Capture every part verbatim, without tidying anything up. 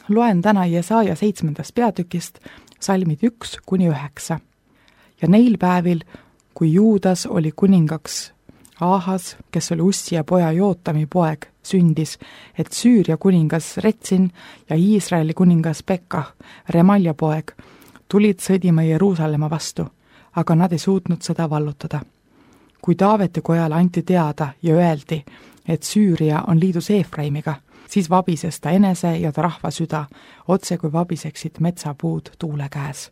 Loen täna Jesaja seitsmendast peatükist salmid üks kuni üheksa. Ja neil päevil, kui Juudas oli kuningaks Ahas, kes oli Ussia poja Jootami poeg, sündis, et Süüria kuningas Retsin ja Iisraeli kuningas Pekah, Remalja poeg, tulid sõdima Jeruusalemma vastu, aga nad ei suutnud seda vallutada. Kui Taaveti kojale anti teada ja öeldi, et Süüria on liidus Eefraimiga, siis vabises ta enese ja ta rahva süda, otse kui vabiseksid metsapuud tuule käes.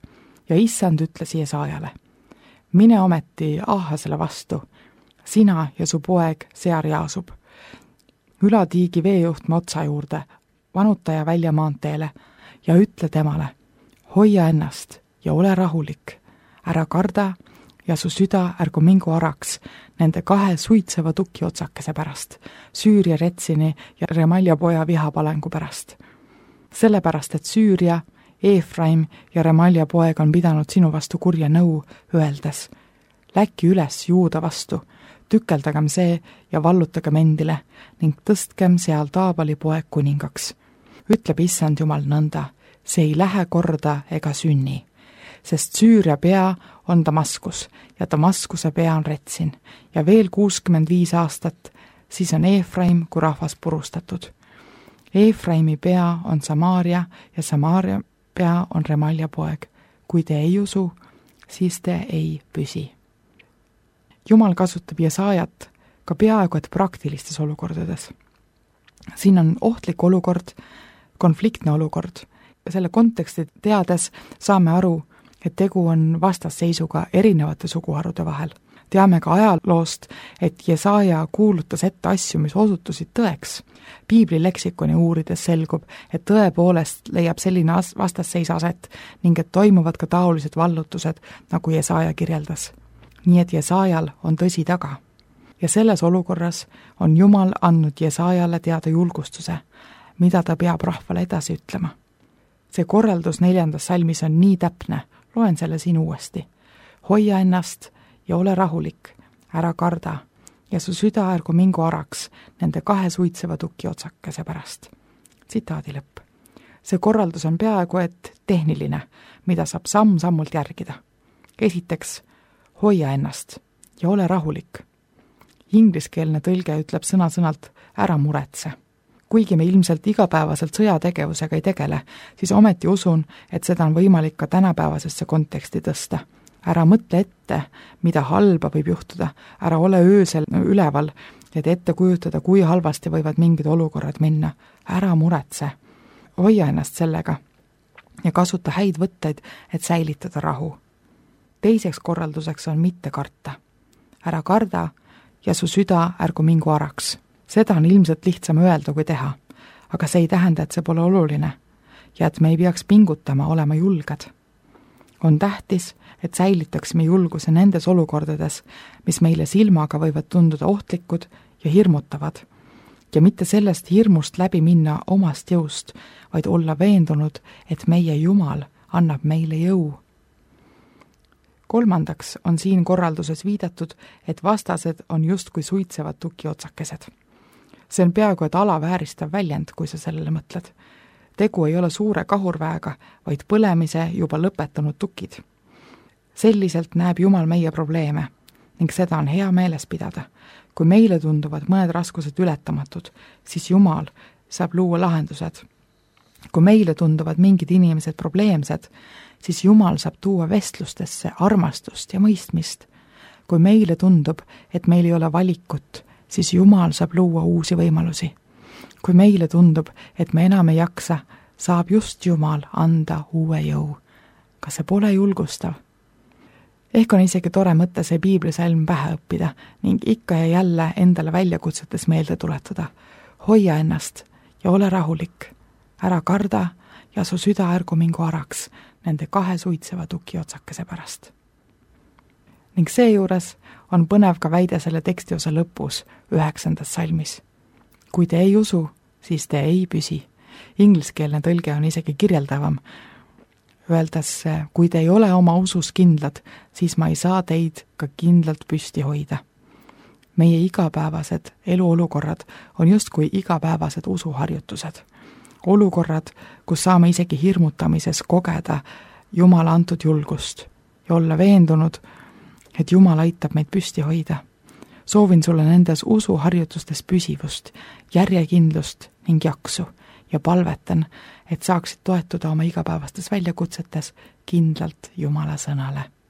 Ja issand ütles Jesajale, mine ometi Ahasele vastu, sina ja su poeg Sear Jaasub. Ülatiigi veejuhtme otsa juurde, vanutaja välja maanteele ja ütle temale, hoia ennast ja ole rahulik, ära karda ja su süda ärgu mingu araks nende kahe suitseva tuki otsakese pärast, Süüria Retsini ja Remalja poja vihapalengu pärast. Sellepärast, et Süüria, Eefraim ja Remalja poeg on pidanud sinu vastu kurja nõu, öeldes, läki üles Juuda vastu, tükeldagem see ja vallutagem endile ning tõstkem seal Taabali poeg kuningaks. Ütleb issand Jumal nõnda, see ei lähe korda ega sünni, sest Süüria pea on Damaskus ja Damaskuse pea on Retsin ja veel kuuskümmend viis aastat, siis on Eefraim kui rahvas purustatud. Eefraimi pea on Samaaria ja Samaaria pea on Remalja poeg. Kui te ei usu, siis te ei püsi. Jumal kasutab Jesajat ka peaaegu et praktilistes olukordades. Siin on ohtlik olukord, konfliktne olukord. Selle konteksti teades saame aru, et tegu on vastasseisuga erinevate suguharude vahel. Teame ka ajaloost, et Jesaja kuulutas ette asju, mis osutusid tõeks. Piibli leksikoni uurides selgub, et tõepoolest leiab selline vastasseis aset ning et toimuvad ka taolised vallutused, nagu Jesaja kirjeldas. Nii et Jesajal on tõsi taga. Ja selles olukorras on Jumal andnud Jesajale teada julgustuse, mida ta peab rahvale edasi ütlema. See korraldus neljandas salmis on nii täpne, loen selle siin uuesti. Hoia ennast ja ole rahulik, ära karda ja su süda ärgu mingu araks nende kahe suitseva tuki otsakese pärast. Tsitaadi lõpp. See korraldus on peaaegu et tehniline, mida saab samm-sammult järgida. Esiteks, hoia ennast ja ole rahulik. Ingliskeelne tõlge ütleb sõna-sõnalt ära muretse. Kuigi me ilmselt igapäevaselt sõjategevusega ei tegele, siis ometi usun, et seda on võimalik ka tänapäevasesse konteksti tõsta. Ära mõtle ette, mida halba võib juhtuda, ära ole öösel üleval, et ette kujutada, kui halvasti võivad mingid olukorrad minna. Ära muretse. Hoia ennast sellega ja kasuta häid võtteid, et säilitada rahu. Teiseks korralduseks on mitte karta. Ära karda ja su süda ärgu mingu araks. Seda on ilmselt lihtsam öelda kui teha, aga see ei tähenda, et see pole oluline ja et me ei peaks pingutama olema julged. On tähtis, et säilitaksime julguse nendes olukordades, mis meile silmaga võivad tunduda ohtlikud ja hirmutavad ja mitte sellest hirmust läbi minna omast jõust, vaid olla veendunud, et meie Jumal annab meile jõu. Kolmandaks on siin korralduses viidatud, et vastased on justkui suitsevad tukiotsakesed. See on peaaegu et alavääristav väljend, kui sa sellele mõtled. Tegu ei ole suure kahurväega, vaid põlemise juba lõpetanud tukid. Selliselt näeb Jumal meie probleeme ning seda on hea meeles pidada. Kui meile tunduvad mõned raskused ületamatud, siis Jumal saab luua lahendused. Kui meile tunduvad mingid inimesed probleemsed, siis Jumal saab tuua vestlustesse armastust ja mõistmist. Kui meile tundub, et meil ei ole valikut, siis Jumal saab luua uusi võimalusi. Kui meile tundub, et me enam ei jaksa, saab just Jumal anda uue jõu. Kas see pole julgustav? Ehk on isegi tore mõte see piiblisalm pähe õppida ning ikka ja jälle endale väljakutsetes meelde tuletada. Hoia ennast ja ole rahulik. Ära karda ja su süda ärgu mingu araks nende kahe suitseva tuki otsakese pärast. Ning seejuures on põnev ka väide selle tekstiosa lõpus üheksandas salmis. Kui te ei usu, siis te ei püsi. Ingliskeelne tõlge on isegi kirjeldavam. Öeldes, kui te ei ole oma usus kindlad, siis ma ei saa teid ka kindlalt püsti hoida. Meie igapäevased eluolukorrad on justkui igapäevased usuharjutused. olukorrad, kus saame isegi hirmutamises kogeda Jumala antud julgust ja olla veendunud, et Jumal aitab meid püsti hoida. Soovin sulle nendes usuharjutustes püsivust, järjekindlust ning jaksu ja palvetan, et saaksid toetuda oma igapäevastes väljakutsetes kindlalt Jumala sõnale.